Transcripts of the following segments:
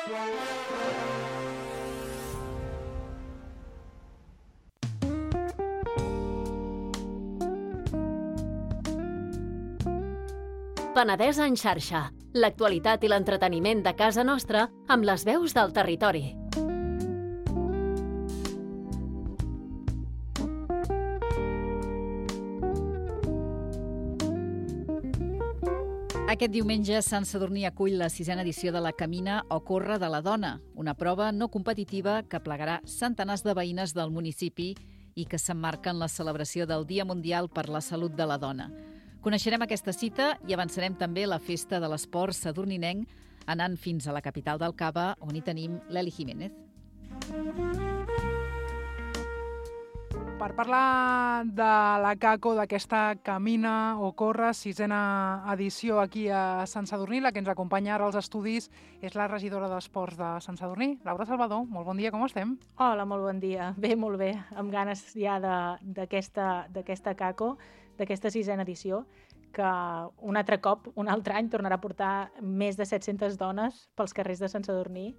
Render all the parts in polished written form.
Penedès en xarxa, l'actualitat i l'entreteniment de casa nostra amb les veus del territori. Aquest diumenge Sant Sadurní acull la 6a edició de la Camina o Corre de la Dona, una prova no competitiva que plegarà centenars de veïnes del municipi i que s'emmarca en la celebració del Dia Mundial per la Salut de la Dona. Coneixerem aquesta cita i avançarem també la Festa de l'Esport sadurninenc anant fins a la capital del Cava, on hi tenim l'Eli Jiménez. Per parlar de la CACO, d'aquesta Camina o Corre, 6a edició aquí a Sant Sadurní, la que ens acompanya ara als estudis és la regidora d'Esports de Sant Sadurní, Laura Salvador. Molt bon dia, com estem? Hola, molt bon dia. Bé, molt bé. Amb ganes ja d'aquesta CACO, d'aquesta 6a edició, que un altre cop, un altre any, tornarà a portar més de 700 dones pels carrers de Sant Sadurní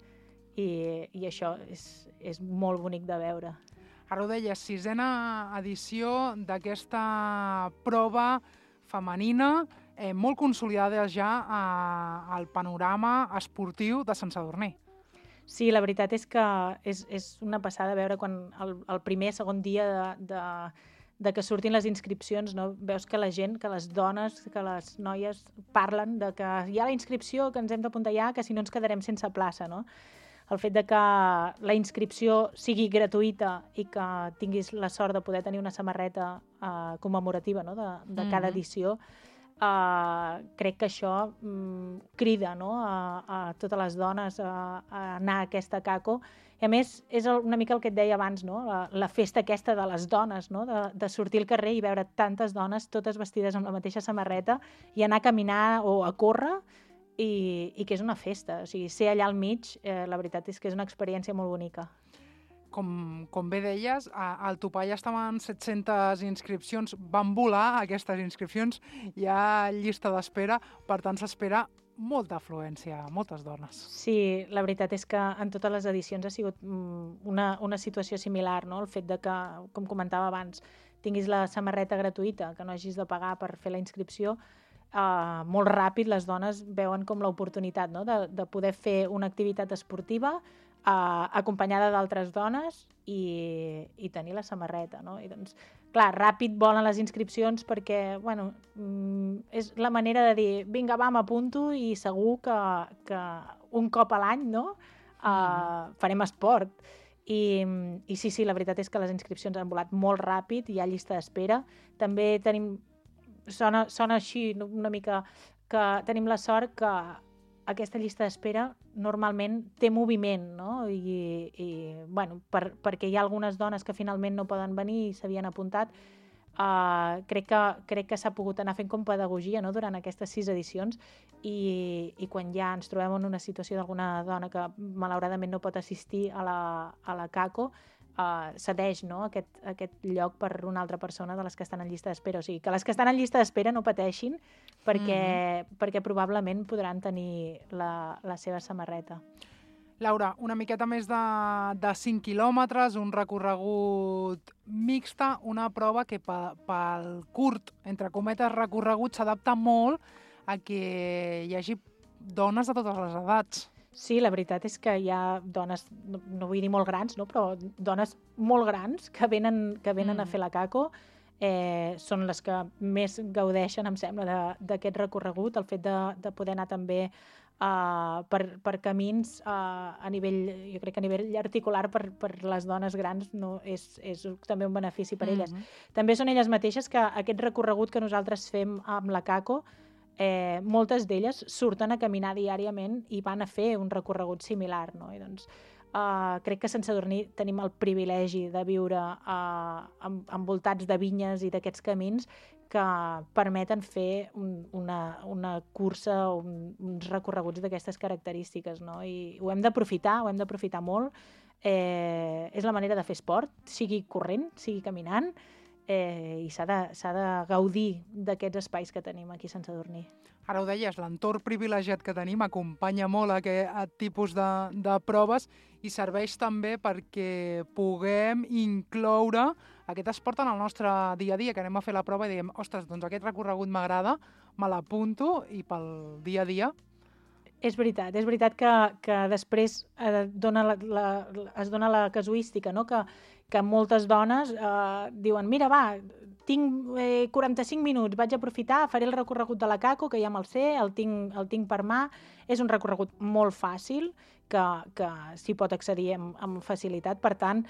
i això és molt bonic de veure. Ara ho deies, 6a edició d'aquesta prova femenina molt consolidada ja al panorama esportiu de Sant Sadurní. Sí, la veritat és que és una passada veure quan el primer, segon dia de que surtin les inscripcions, no? Veus que la gent, que les dones, que les noies parlen de que hi ha la inscripció, que ens hem d'apuntar ja, que si no ens quedarem sense plaça, no? El fet de que la inscripció sigui gratuïta i que tinguis la sort de poder tenir una samarreta commemorativa, no? de cada edició, crec que això crida, no? a totes les dones a anar a aquesta CACO. I a més, és una mica el que et deia abans, no? La festa aquesta de les dones, no? de sortir al carrer i veure tantes dones totes vestides amb la mateixa samarreta i anar a caminar o a córrer i que és una festa. O sigui, ser allà al mig, la veritat és que és una experiència molt bonica. Com bé deies, al topall estaven 700 inscripcions, van volar aquestes inscripcions, hi ha llista d'espera, per tant s'espera molta afluència, moltes dones. Sí, la veritat és que en totes les edicions ha sigut una situació similar, no? El fet de que, com comentava abans, tinguis la samarreta gratuïta, que no hagis de pagar per fer la inscripció, molt ràpid les dones veuen com l'oportunitat, no? de poder fer una activitat esportiva acompanyada d'altres dones i tenir la samarreta, no? I doncs, clar, ràpid volen les inscripcions perquè, bueno, és la manera de dir, vinga, va, m'apunto i segur que un cop a l'any, no? Farem esport. I sí, la veritat és que les inscripcions han volat molt ràpid, hi ha llista d'espera. També tenim, sona així una mica, que tenim la sort que aquesta llista d'espera normalment té moviment, no? I bueno, perquè hi ha algunes dones que finalment no poden venir i s'havien apuntat, crec que s'ha pogut anar fent com pedagogia, no? Durant aquestes 6 edicions i quan ja ens trobem en una situació d'alguna dona que malauradament no pot assistir a la CACO, cedeix, no? aquest lloc per una altra persona de les que estan en llista d'espera. O sigui, que les que estan en llista d'espera no pateixin perquè probablement podran tenir la seva samarreta. Laura, una miqueta més de 5 quilòmetres, un recorregut mixta, una prova que pel curt, entre cometes, recorregut s'adapta molt a que hi hagi dones de totes les edats. Sí, la veritat és que hi ha dones, no vull dir molt grans, no? Però dones molt grans que venen a fer la CACO. Són les que més gaudeixen, em sembla, d'aquest recorregut, el fet de poder anar també per camins a nivell, jo crec que a nivell articular per les dones grans no, és també un benefici per elles. També són elles mateixes que aquest recorregut que nosaltres fem amb la CACO, moltes d'elles surten a caminar diàriament i van a fer un recorregut similar, no? I doncs crec que a Sant Sadurní tenim el privilegi de viure envoltats de vinyes i d'aquests camins que permeten fer una cursa o uns recorreguts d'aquestes característiques, no? I ho hem d'aprofitar molt. És la manera de fer esport, sigui corrent, sigui caminant, i s'ha de gaudir d'aquests espais que tenim aquí a Sant Sadurní. Ara ho deies, l'entorn privilegiat que tenim acompanya molt aquest tipus de proves i serveix també perquè puguem incloure aquest esport en el nostre dia a dia, que anem a fer la prova i diem, ostres, doncs aquest recorregut m'agrada, me l'apunto i pel dia a dia. És veritat que després es dona la casuística, no? Que moltes dones diuen, mira, va, tinc 45 minuts, vaig aprofitar, faré el recorregut de la Caco, que ja me'l sé, el tinc per mà. És un recorregut molt fàcil, que s'hi pot accedir amb facilitat. Per tant,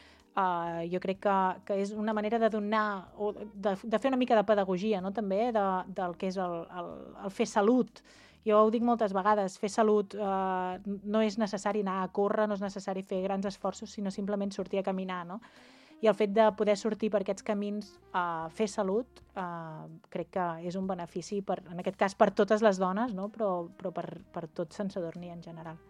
jo crec que és una manera de donar, o de fer una mica de pedagogia, no? També del que és el fer salut. Jo ho dic moltes vegades, fer salut no és necessari anar a córrer, no és necessari fer grans esforços, sinó simplement sortir a caminar, no? I el fet de poder sortir per aquests camins a fer salut crec que és un benefici, en aquest cas per totes les dones, no? però per tot Sant Sadurní en general.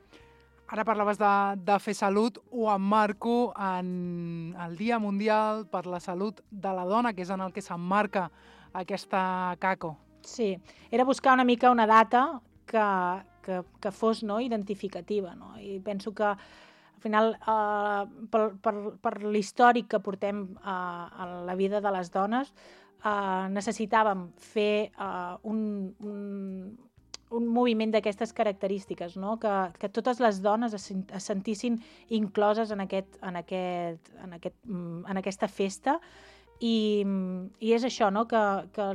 Ara parlaves de fer salut, ho emmarco en el Dia Mundial per la Salut de la Dona, que és en el que s'emmarca aquesta Caco. Sí, era buscar una mica una data que fos, no, identificativa, no? I penso que al final, per l'històric que portem a la vida de les dones, necessitàvem fer un moviment d'aquestes característiques, no? Que totes les dones es sentissin incloses en aquesta festa. I és això, no? Que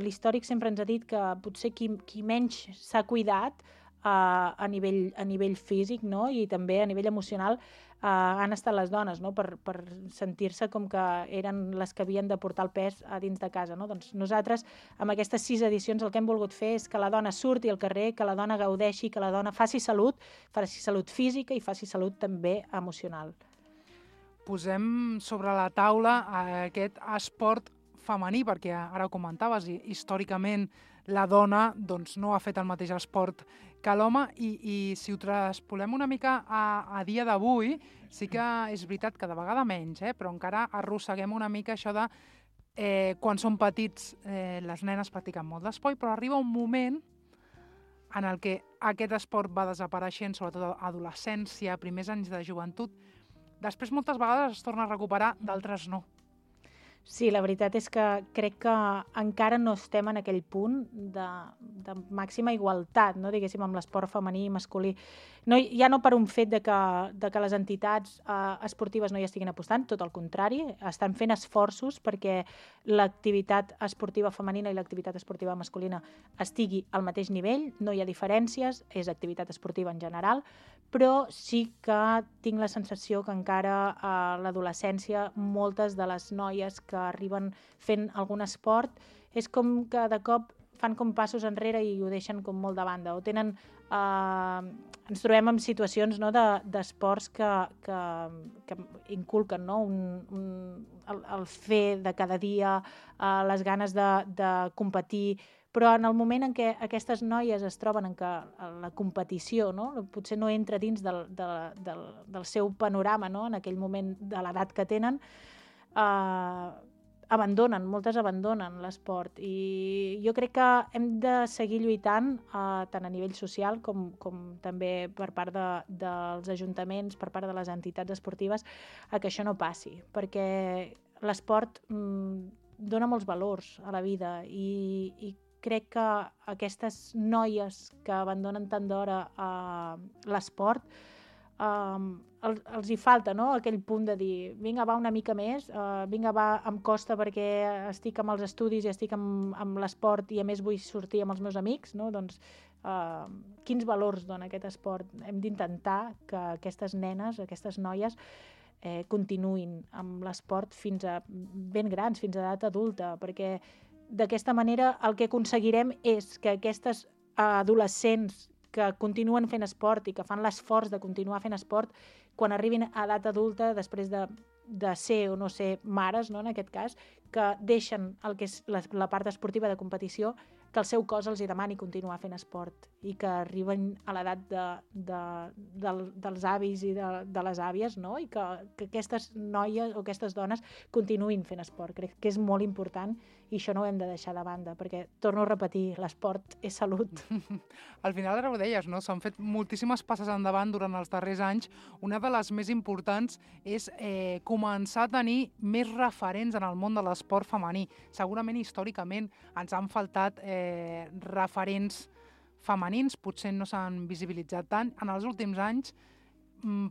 l'històric sempre ens ha dit que potser qui menys s'ha cuidat a nivell físic, no? I també a nivell emocional han estat les dones, no? Per sentir-se com que eren les que havien de portar el pes a dins de casa, no? Doncs nosaltres, amb aquestes 6 edicions, el que hem volgut fer és que la dona surti al carrer, que la dona gaudeixi, que la dona faci salut física i faci salut també emocional. Posem sobre la taula aquest esport femení, perquè ara ho comentaves, històricament la dona doncs, no ha fet el mateix esport que l'home i si ho traspolem una mica a dia d'avui, sí que és veritat que de vegada menys, però encara arrosseguem una mica això de quan són petits les nenes practiquen molt d'esport, però arriba un moment en el que aquest esport va desapareixent, sobretot a adolescència, primers anys de joventut. Després moltes vegades es torna a recuperar, d'altres no. Sí, la veritat és que crec que encara no estem en aquell punt de màxima igualtat, no? Diguéssim, amb l'esport femení i masculí. Ja no per un fet de que les entitats esportives no hi estiguin apostant, tot el contrari, estan fent esforços perquè l'activitat esportiva femenina i l'activitat esportiva masculina estigui al mateix nivell, no hi ha diferències, és activitat esportiva en general, però sí que tinc la sensació que encara a l'adolescència moltes de les noies que arriben fent algun esport és com que de cop fan com passos enrere i ho deixen com molt de banda. O tenen... ens trobem en situacions, no, d'esports que inculquen, no, el fer de cada dia, les ganes de competir, però en el moment en què aquestes noies es troben en què la competició, no, potser no entra dins del seu panorama, no, en aquell moment de l'edat que tenen, moltes abandonen l'esport i jo crec que hem de seguir lluitant tant a nivell social com també per part dels ajuntaments, per part de les entitats esportives, a que això no passi, perquè l'esport dona molts valors a la vida i crec que aquestes noies que abandonen tant d'hora l'esport els hi falta, no? Aquell punt de dir, vinga, va una mica més, vinga, va, em costa perquè estic amb els estudis i estic amb l'esport i a més vull sortir amb els meus amics, no? Doncs quins valors dona aquest esport? Hem d'intentar que aquestes nenes, aquestes noies, continuïn amb l'esport fins a ben grans, fins a edat adulta, perquè d'aquesta manera el que aconseguirem és que aquestes adolescents que continuen fent esport i que fan l'esforç de continuar fent esport, quan arribin a edat adulta, després de ser o no ser mares, no, en aquest cas, que deixen el que és la part esportiva de competició, que el seu cos els hi demani continuar fent esport i que arriben a l'edat dels avis i de les àvies, no? I que aquestes noies o aquestes dones continuïn fent esport. Crec que és molt important i això no ho hem de deixar de banda, perquè, torno a repetir, l'esport és salut. Al final ara ho deies, no? S'han fet moltíssimes passes endavant durant els darrers anys. Una de les més importants és començar a tenir més referents en el món de l'esport femení. Segurament, històricament, ens han faltat referents femenins, potser no s'han visibilitzat tant. En els últims anys,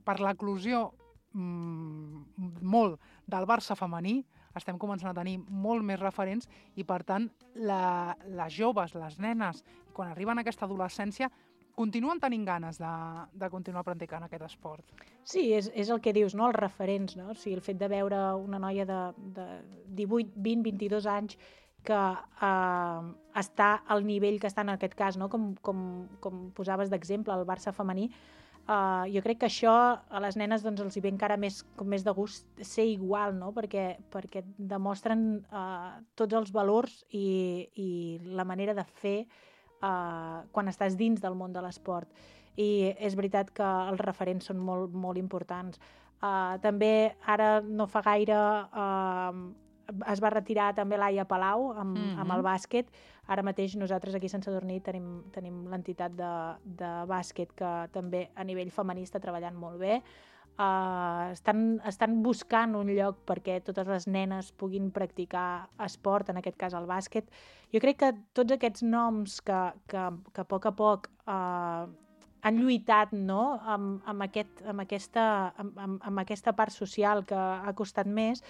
per l'eclosió molt del Barça femení, estem començant a tenir molt més referents i, per tant, les joves, les nenes, quan arriben a aquesta adolescència, continuen tenint ganes de continuar practicant aquest esport. Sí, és el que dius, no? Els referents, no? O sigui, el fet de veure una noia de 18, 20, 22 anys que està al nivell que està en aquest cas, no? Com posaves d'exemple, el Barça femení, jo crec que això a les nenes doncs, els hi ve encara més de gust ser igual, no? Perquè demostren tots els valors i la manera de fer quan estàs dins del món de l'esport. I és veritat que els referents són molt, molt importants. També ara no fa gaire es va retirar també Laia Palau amb el bàsquet. Ara mateix nosaltres aquí a Sant Sadurní tenim l'entitat de bàsquet que també a nivell femení està treballant molt bé. Estan buscant un lloc perquè totes les nenes puguin practicar esport, en aquest cas el bàsquet. Jo crec que tots aquests noms que a poc han lluitat, no? amb aquesta part social que ha costat més,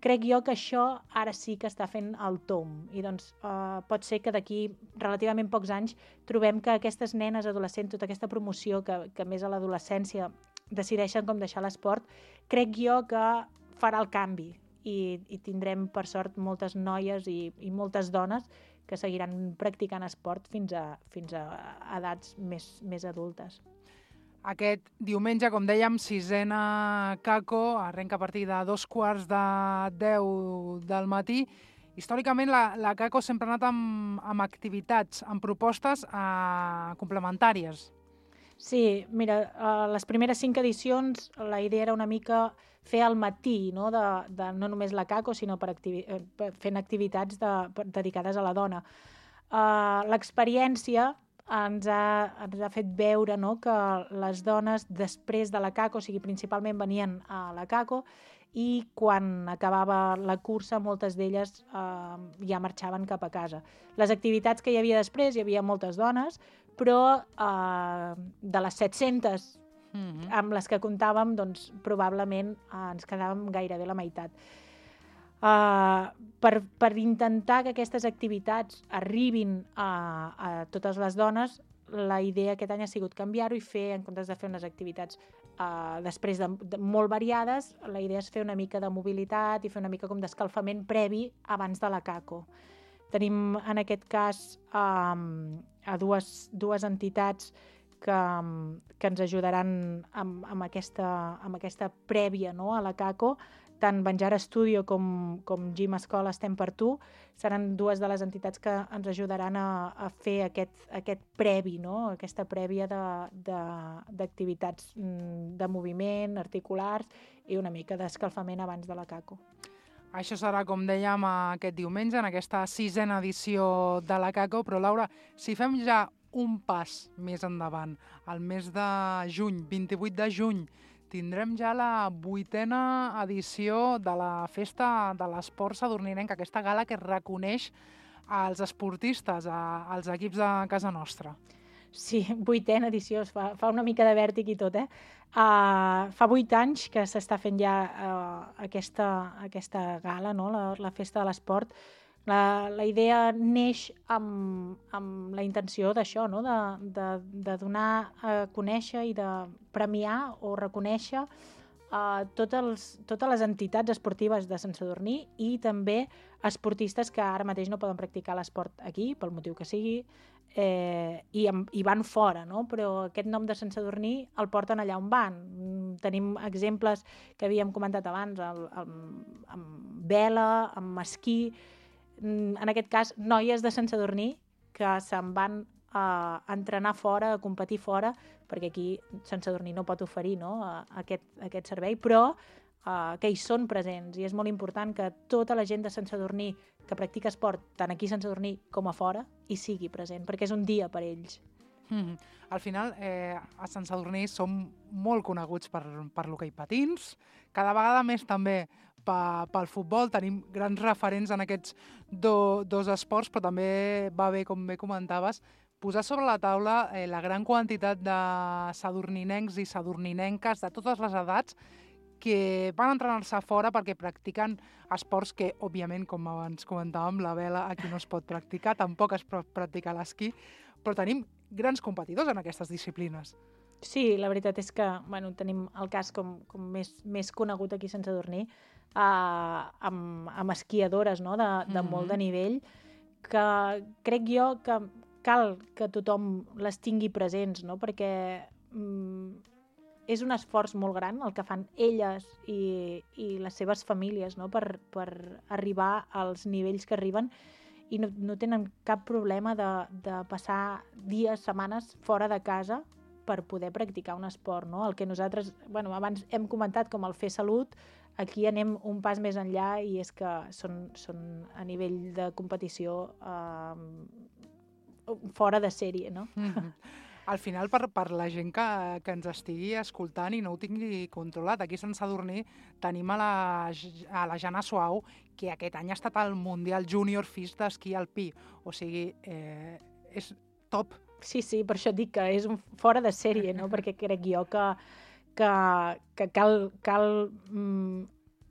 crec jo que això ara sí que està fent el tomb. I doncs pot ser que d'aquí relativament pocs anys trobem que aquestes nenes adolescents, tota aquesta promoció que més a l'adolescència decideixen com deixar l'esport, crec jo que farà el canvi i tindrem per sort moltes noies i moltes dones que seguiran practicant esport fins a edats més adultes. Aquest diumenge, com dèiem, 6ena Caco, arrenca a partir de 9:45 del matí. Històricament, la Caco sempre ha anat amb activitats, amb propostes complementàries. Sí, mira, les primeres 5 edicions la idea era una mica fer al matí, no no només la Caco, sinó fent activitats dedicades a la dona. L'experiència ens ha fet veure, no, que les dones després de la Caco, o sigui, principalment venien a la Caco, i quan acabava la cursa moltes d'elles ja marxaven cap a casa. Les activitats que hi havia després, hi havia moltes dones, però de les 700 amb les que comptàvem, doncs probablement ens quedàvem gairebé la meitat. Per intentar que aquestes activitats arribin a totes les dones, la idea aquest any ha sigut canviar-ho i fer, en comptes de fer unes activitats després de molt variades, la idea és fer una mica de mobilitat i fer una mica com d'escalfament previ abans de la Caco. Tenim en aquest cas a dues entitats que ens ajudaran amb aquesta prèvia, no, a la Caco. Tant Banjara Studio com Gym Escola Estem per Tu seran dues de les entitats que ens ajudaran a fer aquest previ, no? Aquesta prèvia d'activitats de moviment, articulars i una mica d'escalfament abans de la Caco. Això serà, com dèiem, aquest diumenge, en aquesta 6ena edició de la Caco. Però, Laura, si fem ja un pas més endavant, al mes de juny, 28 de juny, tindrem ja la 8ª edició de la Festa de l'Esport Sadurninenc, aquesta gala que reconeix als esportistes, als equips de casa nostra. Sí, 8ª edició, fa una mica de vèrtic i tot, Fa 8 anys que s'està fent ja aquesta gala, no? La Festa de l'Esport. La idea neix amb la intenció d'això, no? De donar a conèixer i de premiar o reconèixer totes les entitats esportives de Sant Sadurní i també esportistes que ara mateix no poden practicar l'esport aquí, pel motiu que sigui, i van fora, no? Però aquest nom de Sant Sadurní el porten allà on van. Tenim exemples que havíem comentat abans, amb vela, amb esquí, en aquest cas noies de Sant Sadurní que se'n van a entrenar fora, a competir fora, perquè aquí Sant Sadurní no pot oferir, no, aquest servei, però que hi són presents, i és molt important que tota la gent de Sant Sadurní que practica esport, tant aquí a Sant Sadurní com a fora, hi sigui present, perquè és un dia per ells. Al final, a Sant Sadurní som molt coneguts per l'hoquei patins, cada vegada més també pel futbol, tenim grans referents en aquests dos esports, però també va bé, com bé comentaves, posar sobre la taula la gran quantitat de sadurninencs i sadurninenques de totes les edats que van entrenar-se fora perquè practiquen esports que, òbviament, com abans comentàvem, la vela aquí no es pot practicar, tampoc es pot practicar l'esquí, però tenim grans competidors en aquestes disciplines. Sí, la veritat és que tenim el cas com més conegut aquí a Sant Sadurní, amb esquiadores, no? de molt de nivell, que crec jo que cal que tothom les tingui presents, no? Perquè és un esforç molt gran el que fan elles i les seves famílies, no? per arribar als nivells que arriben, i no tenen cap problema de passar dies, setmanes fora de casa per poder practicar un esport, no? El que nosaltres, abans hem comentat com el fer salut, aquí anem un pas més enllà, i és que són a nivell de competició fora de sèrie, no? Al final, per la gent que ens estigui escoltant i no ho tingui controlat, aquí a Sant Sadurní tenim a la Jana Suau, que aquest any ha estat al Mundial Júnior FIS d'esquí alpí. O sigui, és top. Sí, per això et dic que és fora de sèrie, no? Perquè crec jo que cal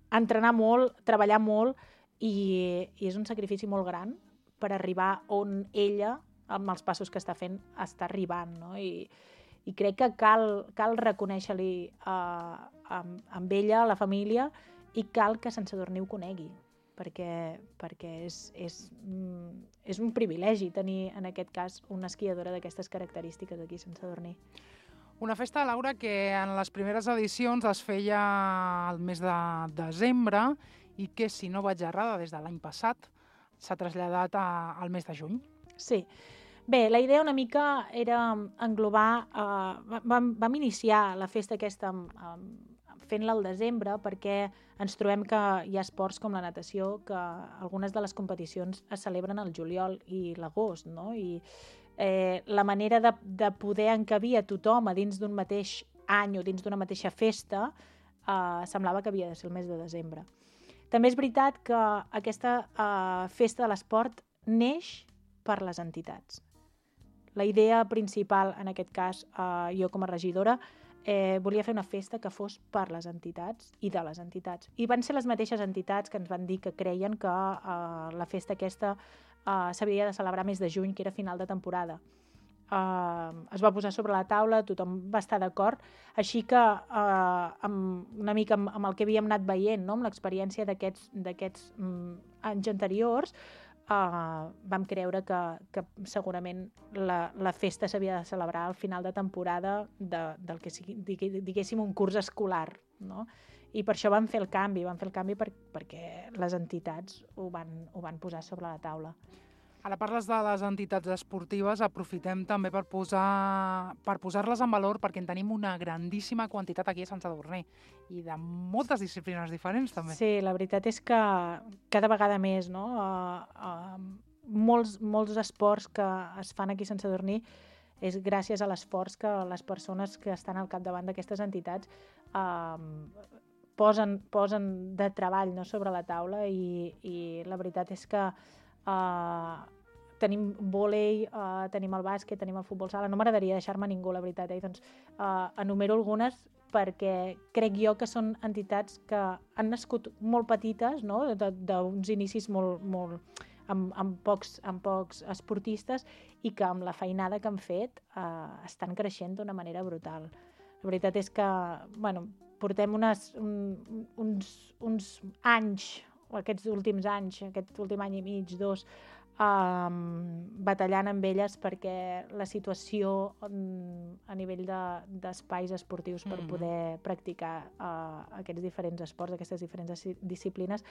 entrenar molt, treballar molt, i és un sacrifici molt gran per arribar on ella, amb els passos que està fent, està arribant, no? I crec que cal reconèixer-li amb ella, a la família, i cal que Sant Sadurní ho conegui, perquè és un privilegi tenir, en aquest cas, una esquiadora d'aquestes característiques aquí a Sant Sadurní. Una festa, Laura, que en les primeres edicions es feia al mes de desembre i que, si no vaig errada, des de l'any passat s'ha traslladat al mes de juny. Sí. Bé, la idea una mica era englobar... Vam iniciar la festa aquesta fent-la al desembre, perquè ens trobem que hi ha esports com la natació, que algunes de les competicions es celebren al juliol i l'agost, no? I la manera de poder encabir a tothom a dins d'un mateix any o dins d'una mateixa festa semblava que havia de ser el mes de desembre. També és veritat que aquesta festa de l'esport neix per les entitats. La idea principal, en aquest cas, jo com a regidora, volia fer una festa que fos per les entitats i de les entitats. I van ser les mateixes entitats que ens van dir que creien que la festa aquesta s'havia de celebrar mes de juny, que era final de temporada. Es va posar sobre la taula, tothom va estar d'acord, així que una mica amb el que havíem anat veient, no? Amb l'experiència d'aquests anys anteriors, vam creure que segurament la festa s'havia de celebrar al final de temporada del que sigui, diguéssim, un curs escolar, no? I per això vam fer el canvi perquè les entitats ho van posar sobre la taula. Ara parles de les entitats esportives, aprofitem també per posar-les en valor, perquè en tenim una grandíssima quantitat aquí a Sant Sadurní i de moltes disciplines diferents també. Sí, la veritat és que cada vegada més, no? Molts esports que es fan aquí a Sant Sadurní és gràcies a l'esforç que les persones que estan al capdavant d'aquestes entitats posen de treball, no, sobre la taula, i la veritat és que tenim vòlei, tenim el bàsquet, tenim el futbol sala. No m'agradaria deixar-me ningú, la veritat. Doncs enumero algunes perquè crec jo que són entitats que han nascut molt petites, no? D'uns inicis amb pocs esportistes, i que amb la feinada que han fet estan creixent d'una manera brutal. La veritat és que portem uns anys, aquests últims anys, aquest últim any i mig, 2, batallant amb elles perquè la situació a nivell d'espais esportius per poder practicar aquests diferents esports, aquestes diferents disciplines,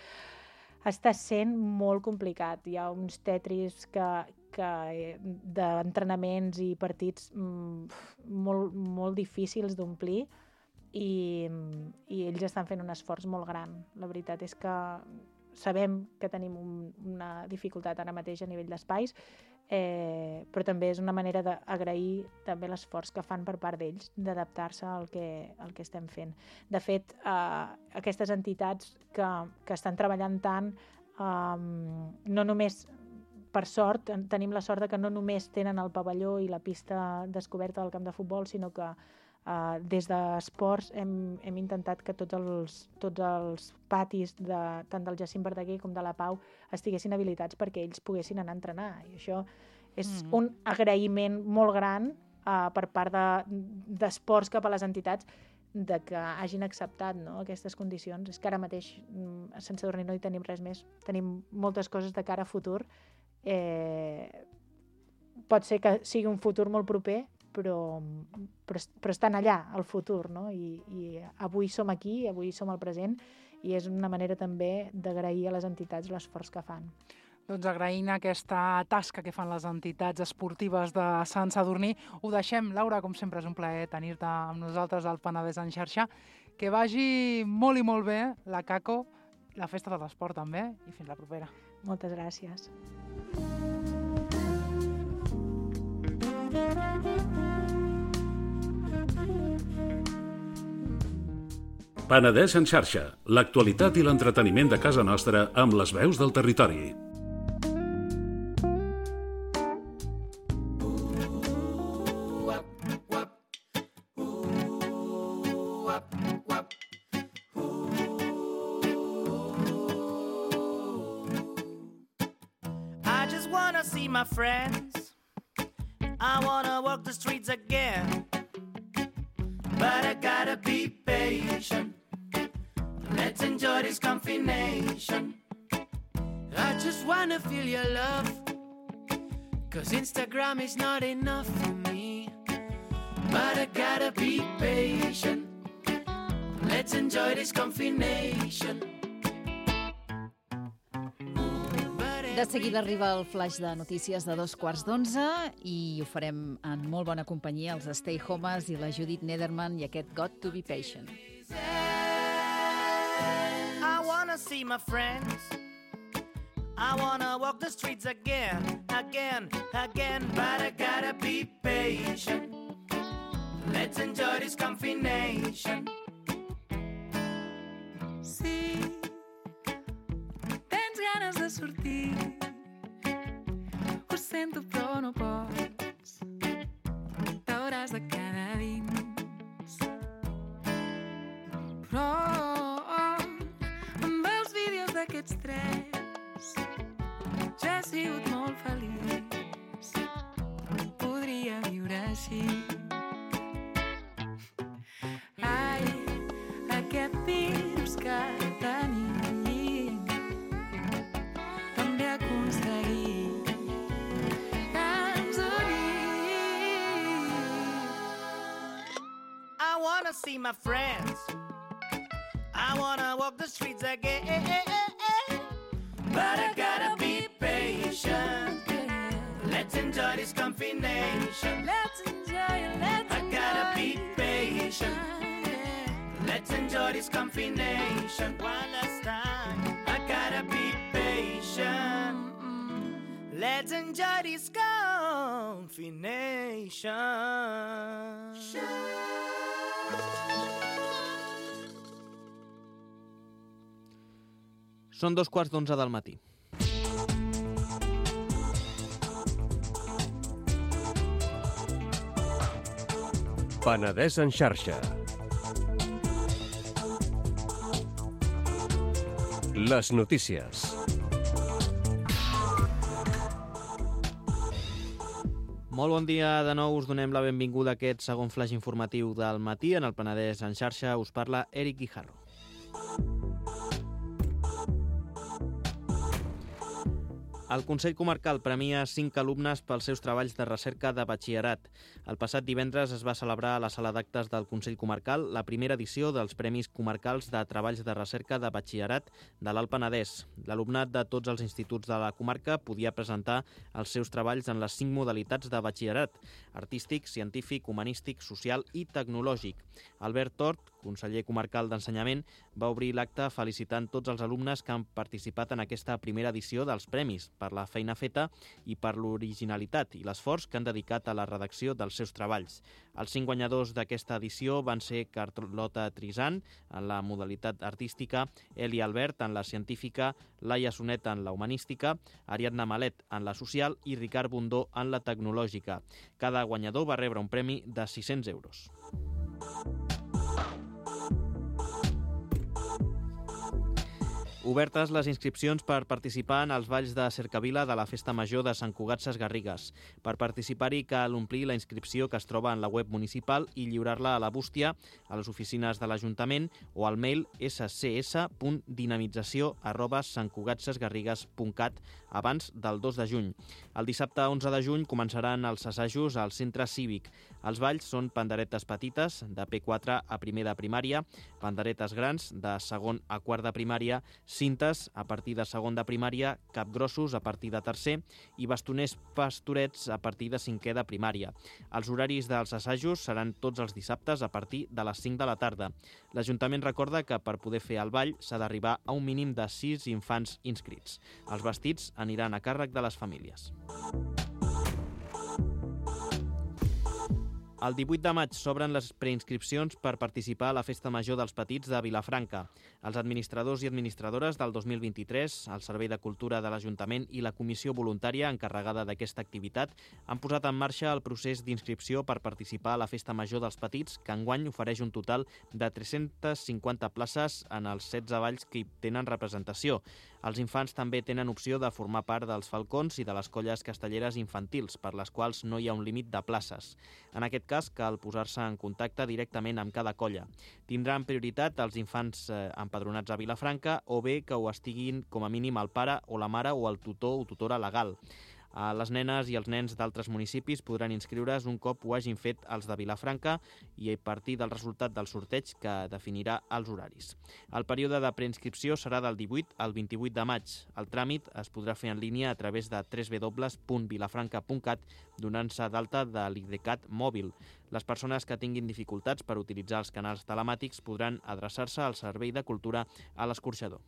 està sent molt complicat. Hi ha uns tetris que d'entrenaments i partits molt difícils d'omplir i ells estan fent un esforç molt gran. La veritat és que sabem que tenim una dificultat ara mateix a nivell d'espais, però també és una manera d'agrair també l'esforç que fan per part d'ells d'adaptar-se al que estem fent. De fet, aquestes entitats que estan treballant tant, no només, per sort, tenim la sort que no només tenen el pavelló i la pista descoberta del camp de futbol, sinó que des d'esports hem intentat que tots els patis tant del Jacint Verdaguer com de la Pau estiguessin habilitats perquè ells poguessin anar a entrenar. I això és un agraïment molt gran per part d'esports cap a les entitats de que hagin acceptat aquestes condicions. És que ara mateix a Sant Sadurní no hi tenim res més. Tenim moltes coses de cara a futur. Pot ser que sigui un futur molt proper, però estan allà, al futur, no? I avui som aquí, avui som al present, i és una manera també d'agrair a les entitats l'esforç que fan. Doncs agraint aquesta tasca que fan les entitats esportives de Sant Sadurní, ho deixem. Laura, com sempre, és un plaer tenir-te amb nosaltres al Penedès en xarxa. Que vagi molt i molt bé la CACO, la Festa de l'Esport també, i fins la propera. Moltes gràcies. Penedès en xarxa, l'actualitat i l'entreteniment de casa nostra amb les veus del territori. I just wanna see my friends. I wanna walk the streets again. But I gotta be patient. Let's enjoy this combination. I just wanna feel your love, 'cause Instagram is not enough for me. But I gotta be patient. Let's enjoy this combination. De seguida arriba el flash de notícies de 11:15 i ho farem en molt bona companyia, els Stay Homes i la Judith Nederman i aquest Got to be Patient. I wanna see my friends. I wanna walk the streets again, again, again. But I gotta be patient. Let's enjoy this combination. Sí, tens ganes de sortir. Ho sento, però no pots. T'hauràs de quedar dins. Però amb els vídeos d'aquests tres ja he sigut molt feliç. Podria viure així. Ai, aquest virus que tenim també aconseguir que ens unim. I wanna see my friends. I wanna walk the streets again. But I gotta be patient. Let's enjoy this combination. Let's enjoy it, let's I gotta be patient. Let's enjoy this combination. One last time. I gotta be patient. Let's enjoy this combination. Són 11:15 del matí. Penedès en xarxa. Les notícies. Molt bon dia de nou, us donem la benvinguda a aquest segon flash informatiu del matí. En el Penedès en xarxa us parla Eric Guijarro. El Consell Comarcal premia 5 alumnes pels seus treballs de recerca de batxillerat. El passat divendres es va celebrar a la sala d'actes del Consell Comarcal la primera edició dels Premis Comarcals de Treballs de Recerca de Batxillerat de l'Alt Penedès. L'alumnat de tots els instituts de la comarca podia presentar els seus treballs en les 5 modalitats de batxillerat: artístic, científic, humanístic, social i tecnològic. Albert Tort, conseller comarcal d'Ensenyament, va obrir l'acte felicitant tots els alumnes que han participat en aquesta primera edició dels premis per la feina feta i per l'originalitat i l'esforç que han dedicat a la redacció dels seus treballs. Els 5 guanyadors d'aquesta edició van ser Carlota Trizant, en la modalitat artística, Eli Albert, en la científica, Laia Sonet, en la humanística, Ariadna Malet, en la social i Ricard Bundó, en la tecnològica. Cada guanyador va rebre un premi de 600 euros. Obertes les inscripcions per participar en els balls de Cercavila de la Festa Major de Sant Cugat Sesgarrigues. Per participar-hi cal omplir la inscripció que es troba en la web municipal i lliurar-la a la bústia, a les oficines de l'Ajuntament o al mail scs.dinamització@santcugatsesgarrigues.cat abans del 2 de juny. El dissabte 11 de juny començaran els assajos al centre cívic. Els balls són panderetes petites, de P4 a primer de primària, panderetes grans, de segon a quart de primària, cintes a partir de segon de primària, capgrossos a partir de tercer i bastoners pastorets a partir de cinquè de primària. Els horaris dels assajos seran tots els dissabtes a partir de les 5 de la tarda. L'Ajuntament recorda que per poder fer el ball s'ha d'arribar a un mínim de 6 infants inscrits. Els vestits aniran a càrrec de les famílies. El 18 de maig s'obren les preinscripcions per participar a la Festa Major dels Petits de Vilafranca. Els administradors i administradores del 2023, el Servei de Cultura de l'Ajuntament i la Comissió Voluntària encarregada d'aquesta activitat han posat en marxa el procés d'inscripció per participar a la Festa Major dels Petits, que enguany ofereix un total de 350 places en els 16 balls que hi tenen representació. Els infants també tenen opció de formar part dels falcons i de les colles castelleres infantils, per les quals no hi ha un límit de places. En aquest cas, cal posar-se en contacte directament amb cada colla. Tindran prioritat els infants empadronats a Vilafranca o bé que ho estiguin com a mínim el pare o la mare o el tutor o tutora legal. Les nenes i els nens d'altres municipis podran inscriure's un cop ho hagin fet els de Vilafranca i a partir del resultat del sorteig que definirà els horaris. El període de preinscripció serà del 18 al 28 de maig. El tràmit es podrà fer en línia a través de www.vilafranca.cat donant-se d'alta de l'IDCAT mòbil. Les persones que tinguin dificultats per utilitzar els canals telemàtics podran adreçar-se al Servei de Cultura a l'Escorxador.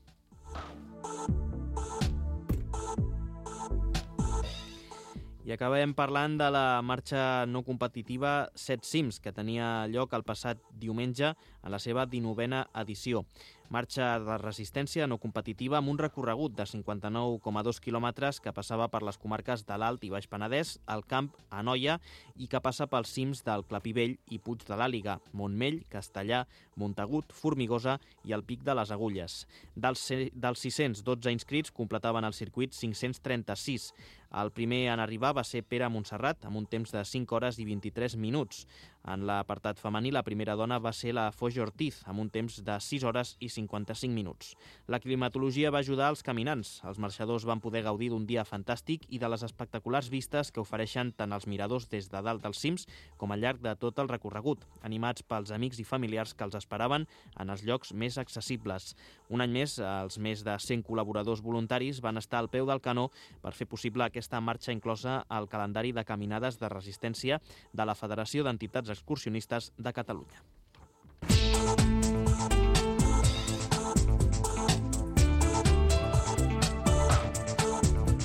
I acabem parlant de la marxa no competitiva 7 cims, que tenia lloc el passat diumenge en la seva 19a edició. Marxa de resistència no competitiva amb un recorregut de 59,2 quilòmetres que passava per les comarques de l'Alt i Baix Penedès, el Camp, Anoia i que passa pels cims del Clapivell i Puig de l'Àliga, Montmell, Castellà, Montagut, Formigosa i el Pic de les Agulles. Dels 612 inscrits completaven el circuit 536. El primer en arribar va ser Pere Montserrat, amb un temps de 5 hores i 23 minuts. En l'apartat femení, la primera dona va ser la Foix Ortiz, amb un temps de 6 hores i 55 minuts. La climatologia va ajudar els caminants. Els marxadors van poder gaudir d'un dia fantàstic i de les espectaculars vistes que ofereixen tant els miradors des de dalt dels cims com al llarg de tot el recorregut, animats pels amics i familiars que els esperaven en els llocs més accessibles. Un any més, els més de 100 col·laboradors voluntaris van estar al peu del canó per fer possible aquesta marxa inclosa al calendari de caminades de resistència de la Federació d'Entitats Excursionistes de Catalunya.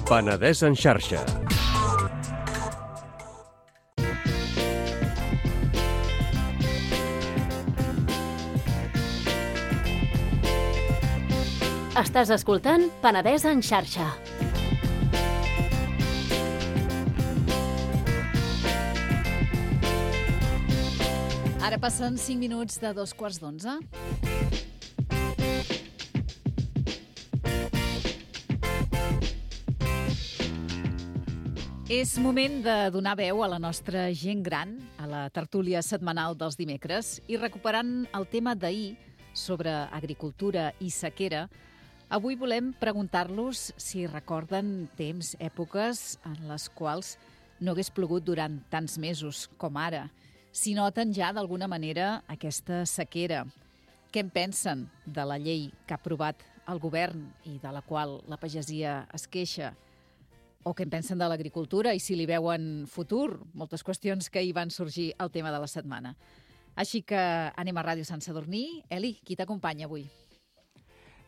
Penedès en xarxa. Estàs escoltant Penedès en xarxa. Ara passen 5 minuts de 2:15. És moment de donar veu a la nostra gent gran, a la tertúlia setmanal dels dimecres, i recuperant el tema d'ahir sobre agricultura i sequera, Avui volem preguntar-los si recorden temps, èpoques en les quals no hagués plogut durant tants mesos com ara. Si noten ja d'alguna manera aquesta sequera. Què en pensen de la llei que ha aprovat el govern i de la qual la pagesia es queixa? O què en pensen de l'agricultura i si li veuen futur? Moltes qüestions que hi van sorgir al tema de la setmana. Així que anem a Ràdio Sant Sadurní. Eli, qui t'acompanya avui?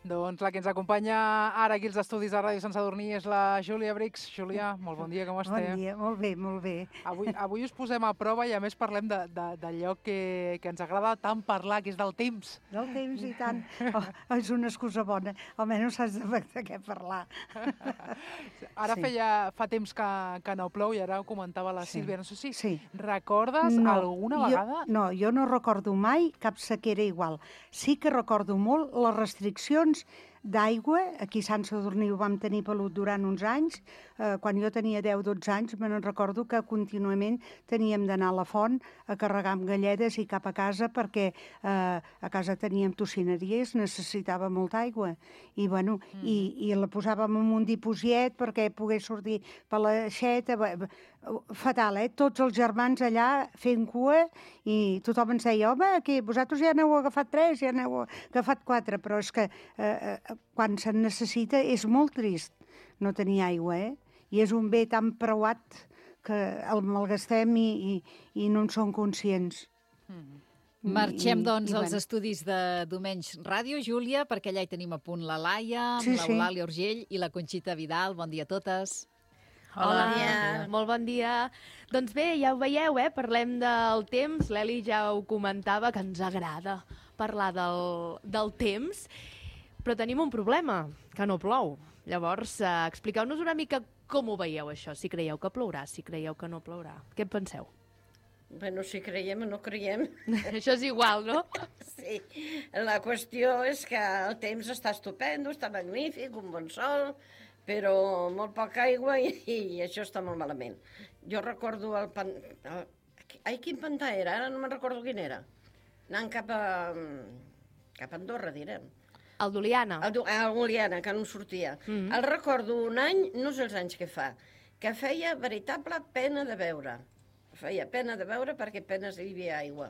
Doncs la que ens acompanya ara aquí als estudis de Ràdio Sant Sadurní és la Júlia Brix. Júlia, molt bon dia, com esteu? Bon dia, molt bé, molt bé. Avui us posem a prova i a més parlem d'allò que ens agrada tant parlar, que és del temps. Del temps i tant. Oh, és una excusa bona, almenys saps de què parlar. Ara Sí. fa temps que no plou i ara ho comentava la Sí. Sílvia. No sé si Sí. recordes alguna vegada? No, jo no recordo mai cap sequera igual. Sí que recordo molt les restriccions d'aigua. Aquí a Sant Sadurní ho vam tenir pelut durant uns anys. Quan jo tenia 10-12 anys me'n recordo que contínuament teníem d'anar a la font a carregar amb galledes i cap a casa perquè a casa teníem tocineria i es necessitava molta aigua. I, bueno, i la posàvem en un diposiet perquè pogués sortir per l'aixeta. Fatal, Tots els germans allà fent cua i tothom ens deia, home, que vosaltres ja n'heu agafat 3, ja n'heu agafat 4, però és que quan se'n necessita és molt trist no tenir aigua, I és un bé tan preuat que el malgastem i no en som conscients. Marxem, doncs, als estudis de Domenys Ràdio, Júlia, perquè allà hi tenim a punt la Laia, l'Eulàlia Urgell i la Conxita Vidal. Bon dia a totes. Hola, molt bon dia. Doncs bé, ja ho veieu, parlem del temps. L'Eli ja ho comentava, que ens agrada parlar del temps, però tenim un problema, que no plou. Llavors, expliqueu-nos una mica com ho veieu, això, si creieu que plourà, si creieu que no plourà. Què en penseu? Bueno, si creiem o no creiem. Això és igual, no? Sí, la qüestió és que el temps està estupendo, està magnífic, un bon sol, però molt poca aigua i això està molt malament. Jo recordo quin pantà era? Ara no me'n recordo quin era. Anant cap a Andorra, direm. El d'Oliana. El d'Oliana, que no sortia. El recordo un any, no sé els anys que fa, que feia veritable pena de veure. Feia pena de veure perquè apenas hi havia aigua.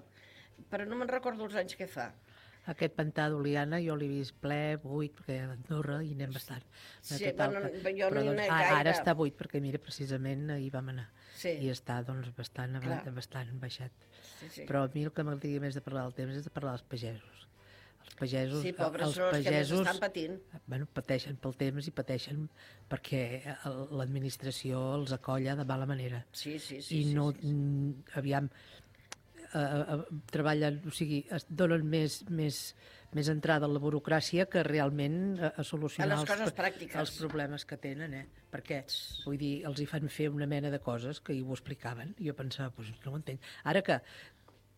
Però no me'n recordo els anys que fa. Aquest pantà d'Oliana jo l'he vist ple, buit, perquè a Andorra hi anem bastant. Sí, bueno, jo no hi anem gaire. Ara està buit, perquè mira, precisament hi vam anar. Sí. I està, doncs, bastant baixat. Sí. Però a mi el que m'agradaria més de parlar del temps és de parlar dels pagesos. Els pagesos... Sí, pobres són els que més estan patint. Bueno, pateixen pel temps i pateixen perquè l'administració els acolla de mala manera. Sí. I no, aviam, treballen, o sigui, es donen més entrada a la burocràcia que realment a solucionar els problemes que tenen, perquè, vull dir, els hi fan fer una mena de coses que ho explicaven, i jo pensava, doncs no ho entenc. Ara que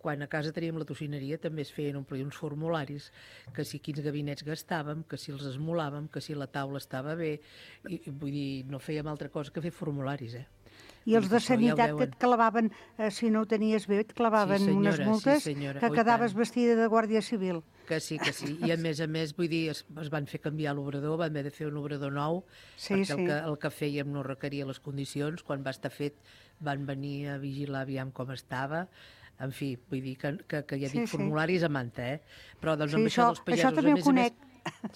quan a casa teníem la tocineria també es feien omplir uns formularis, que si quins gabinets gastàvem, que si els esmolàvem, que si la taula estava bé, i vull dir, no fèiem altra cosa que fer formularis, I els de sanitat que et clavaven, si no ho tenies bé, et clavaven unes multes que quedaves vestida de guàrdia civil. Que sí. I a més, vull dir, es van fer canviar l'obrador, van haver de fer un obrador nou, perquè el que fèiem no requeria les condicions. Quan va estar fet van venir a vigilar aviam com estava. En fi, vull dir que ja dic formularis a manta, Però doncs amb això dels pagesos... Això també ho conec.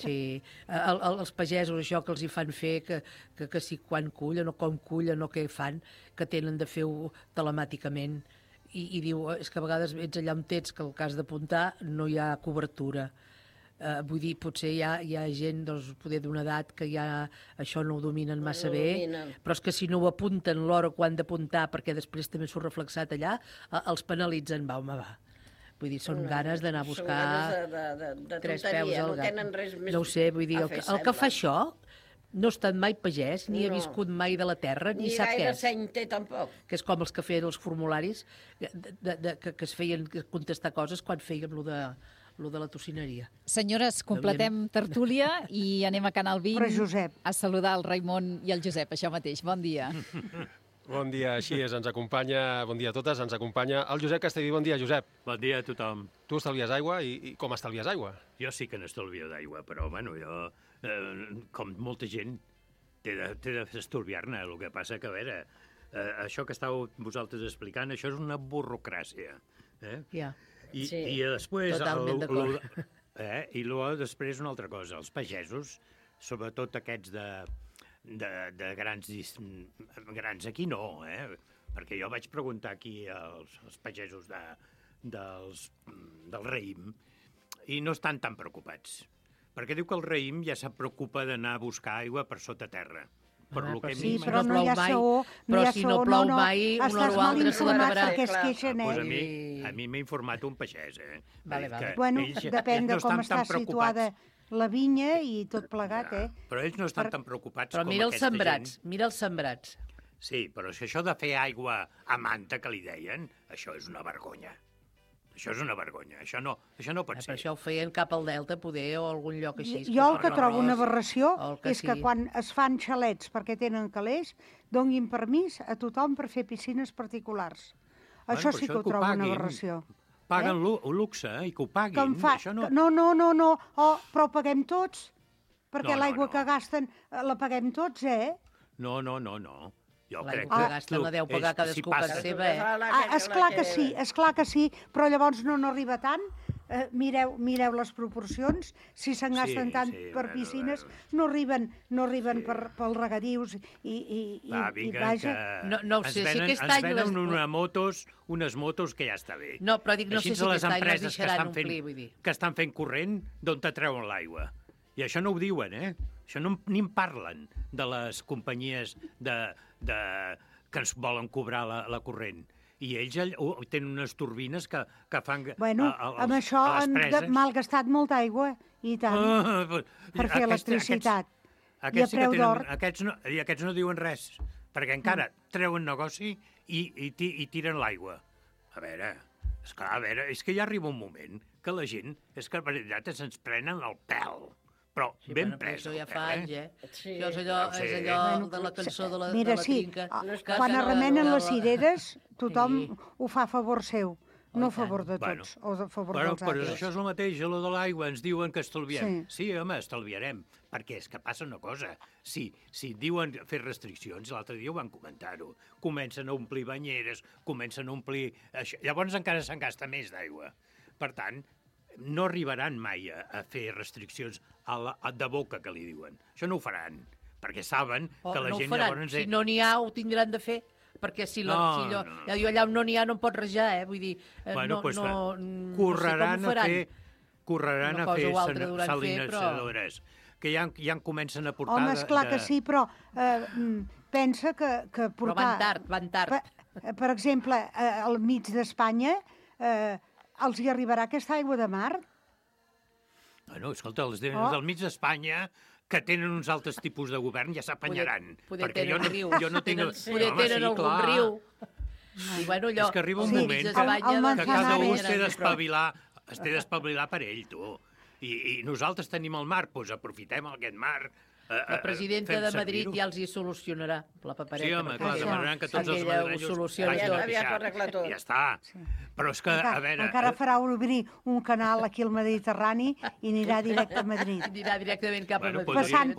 Sí, els pagesos, això que els hi fan fer, que si quan cullen o com cullen o què fan, que tenen de fer-ho telemàticament, i diu, és que a vegades ets allà on ets, que el cas d'apuntar no hi ha cobertura. Vull dir, potser hi ha gent, doncs, poder d'una edat que ja això no ho dominen massa bé, però és que si no ho apunten l'hora quan han d'apuntar, perquè després també s'ho reflexat allà, els penalitzen, va. Vull dir, són ganes d'anar a buscar tres peus al gat. No ho sé, vull dir, el que fa això no ha estat mai pagès, ni ha viscut mai de la terra, ni sap què és. Ni gaire seny té, tampoc. Que és com els que feien els formularis, que es feien contestar coses quan fèiem lo de la tocineria. Senyores, completem tertúlia i anem a Canal 20 a saludar el Raimon i el Josep, això mateix. Bon dia. Bon dia, així és, ens acompanya, bon dia a totes, ens acompanya el Josep Castellví. Bon dia, Josep. Bon dia a tothom. Tu estalvies aigua i com estalvies aigua? Jo sí que n'estalvio d'aigua, però bueno, jo com molta gent, té d'estorbiar-ne. El que passa que, a veure, això que estàveu vosaltres explicant, això és una burocràcia. Ja. I després... Totalment d'acord. I després una altra cosa, els pagesos, sobretot aquests de grans aquí no, perquè jo vaig preguntar aquí als pagesos del raïm i no estan tan preocupats, perquè diu que el raïm ja se preocupa d'anar a buscar aigua per sota terra. Però no hi ha saó, però si no plou mai, una o altra se l'acabarà. A mi m'ha informat un pagès, Vale. Bueno, depèn de com està situada la vinya i tot plegat, Però ells no estan tan preocupats com aquesta gent. Però mira els sembrats. Sí, però si això de fer aigua a manta, que li deien, això és una vergonya. Això és una vergonya, això no pot ser. Per això ho feien cap al Delta, poder, o algun lloc així. Jo el que trobo una aberració és que quan es fan xalets perquè tenen calés, donguin permís a tothom per fer piscines particulars. Això sí que ho trobo una aberració. Paguen luxe i que ho paguin. No, però ho paguem tots, perquè l'aigua que gasten la paguem tots, No. Jo crec que gasten la deu pagar cadascú per seva, Esclar que sí, però llavors no arriba tant. Mireu les proporcions, si se'n gasten tant per piscines, no arriben pels regadius i vaja... No ho sé, si aquest any... Ens venen unes motos que ja està bé. No, però dic, no sé si aquest any les deixaran omplir, vull dir. Que estan fent corrent d'on te treuen l'aigua. I això no ho diuen, Això ni en parlen de les companyies que ens volen cobrar la corrent. I ells tenen unes turbines que fan... Bueno, amb això han malgastat molta aigua, i tant, per fer electricitat. I a preu d'or. Aquests no diuen res, perquè encara treuen negoci i tiren l'aigua. A veure, és que ja arriba un moment que la gent, és que per veritat se'ns prenen el pèl. Però ben pres. Això ja fa anys, Això és allò de la cançó de la trinca. Quan es remenen les cireres, tothom ho fa a favor seu, no a favor de tots, o a favor dels altres. Però això és el mateix, allò de l'aigua, ens diuen que estalviem. Sí, home, estalviarem, perquè és que passa una cosa. Si diuen fer restriccions, l'altre dia ho van comentar-ho, comencen a omplir banyeres, comencen a omplir... Llavors encara se'n gasta més d'aigua. Per tant, no arribaran mai a fer restriccions de boca, que li diuen. Això no ho faran, perquè saben que la gent llavors... Si no n'hi ha, ho tindran de fer, perquè si allà on no n'hi ha no en pot rejar, vull dir... Correran a fer salinadores, que ja en comencen a portar... Home, esclar que sí, però pensa que portar... Però van tard. Per exemple, al mig d'Espanya... els hi arribarà aquesta aigua de mar? Bueno, escolta, els del mig d'Espanya, que tenen uns altres tipus de govern, ja s'apanyaran. Poder tenen algun riu. És que arriba un moment que cada un té d'espavilar per ell, tu. I nosaltres tenim el mar, doncs aprofitem aquest mar. La presidenta de Madrid ja els hi solucionarà la papereta. Sí, home, clar, demanaran que tots els madrilenys ja està. Però és que, a veure... Encara farà obrir un canal aquí al Mediterrani i anirà directe a Madrid. Anirà directament cap a Madrid. Passant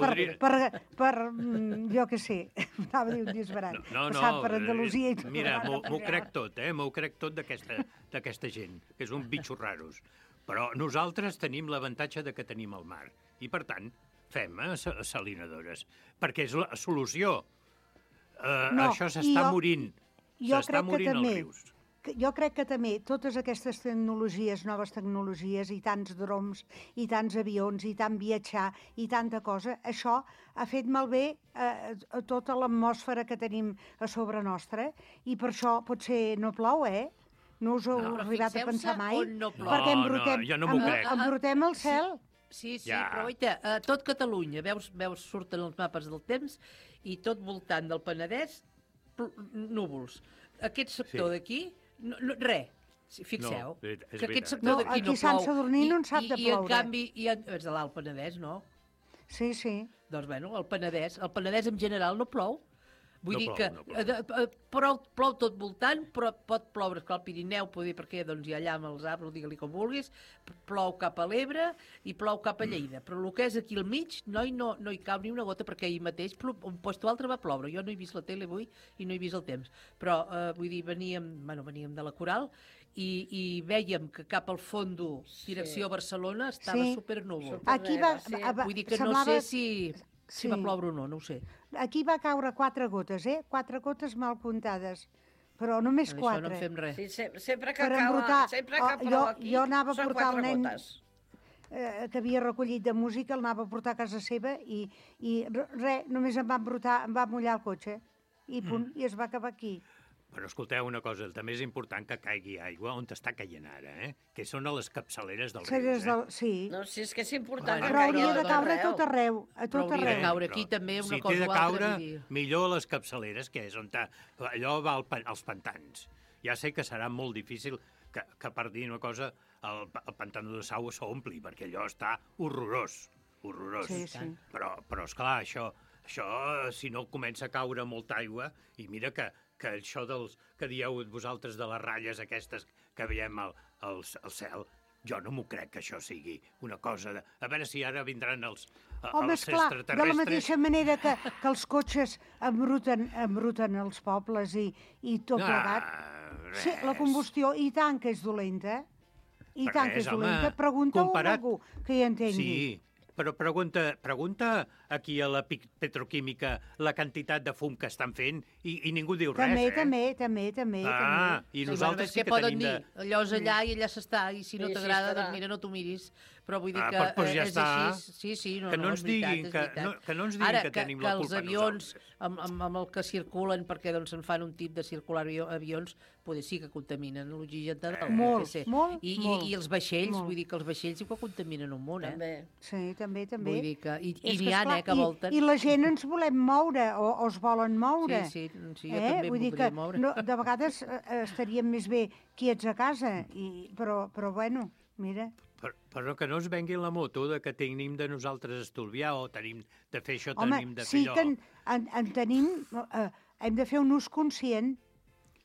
per jo què sé, anava a dir un disbarat. Passant per Andalusia i tot. Mira, m'ho crec tot, m'ho crec tot d'aquesta gent, que és un bitxo raros. Però nosaltres tenim l'avantatge de que tenim el mar. I, per tant, fem salinadores, perquè és la solució. Això s'està morint. S'està morint els rius. Jo crec que també totes aquestes tecnologies, noves tecnologies, i tants droms, i tants avions, i tant viatjar, i tanta cosa, això ha fet malbé tota l'atmosfera que tenim a sobre nostra, i per això potser no plou, No us heu arribat a pensar mai? Perquè embrutem el cel. Sí, però oita, tot Catalunya, veus, surten els mapes del temps i tot voltant del Penedès, núvols. Aquest sector d'aquí, res. Fixeu, que aquest sector d'aquí no plou. Aquí Sant Sadurní no en sap de ploure. I en canvi, és de l'Alt Penedès, no? Sí. Doncs bueno, el Penedès en general no plou. Vull No dir plou, que no plou tot voltant, però pot ploure, esclar, al Pirineu, poder perquè doncs, hi ha allà amb els arbres, digue-li com vulguis, plou cap a l'Ebre i plou cap a Lleida. Però el que és aquí al mig, no hi cau ni una gota, perquè ahir mateix, un puesto altre va ploure. Jo no he vist la tele avui i no he vist el temps. Però, vull dir, veníem de la Coral i vèiem que cap al fondo, direcció Barcelona, estava supernúvol. Aquí Vull dir que no sé si va ploure o no, no ho sé. Aquí va caure 4 gotes, 4 gotes mal comptades, però només 4. Això no en fem res. Sí, sempre que Per cau, embrutar. sempre que plou aquí, Jo anava a són portar 4 el nen gotes. que havia recollit de música, el anava a portar a casa seva i res, només em va mullar el cotxe i punt, i es va acabar aquí. Però escolteu una cosa, també és important que caigui aigua on està caient ara, que són a les capçaleres dels rius. Sí. No, si és que és important Però hauria de caure a tot arreu. Però hauria de caure aquí també una cosa Si té de o altra. caure, millor a les capçaleres, que és on allò va als pantans. Ja sé que serà molt difícil que per dir una cosa, el pantano de Sau s'ompli, perquè allò està horrorós. Sí, sí. Però esclar, això, si no comença a caure molta aigua, i mira que això que dieu vosaltres de les ratlles aquestes que veiem al cel, jo no m'ho crec que això sigui una cosa de... A veure si ara vindran els extraterrestres... de la mateixa manera que els cotxes embruten els pobles i tot plegat. Sí, la combustió, i tant que és dolenta. I tant que és dolenta. Pregunta-ho a algú que hi entengui. Sí, però pregunta aquí a la petroquímica la quantitat de fum que estan fent i ningú diu res, També. I nosaltres sí que tenim de... Allò és allà i allà s'està, i si no t'agrada, doncs mira, no t'ho miris. Però vull dir que doncs ja és està. així. Sí, Que no ens diguin que tenim la culpa els avions, amb el que circulen, perquè doncs se'n fan un tip de circular avions, potser sí que contaminen l'oxigen de dalt. Molt. I els vaixells, vull dir que els vaixells sí que contaminen un munt, Sí, també. Vull dir que... I n'hi ha, que volten. I la gent ens volem moure, o es volen moure. Sí, jo també vull dir voldria que moure. de vegades estaríem més bé quiets a casa, però bueno, mira... Però que no es vengui la moto de que tenim de nosaltres estolviar o tenim de fer això, Home, tenim de fer allò. Home, sí que en tenim... hem de fer un ús conscient.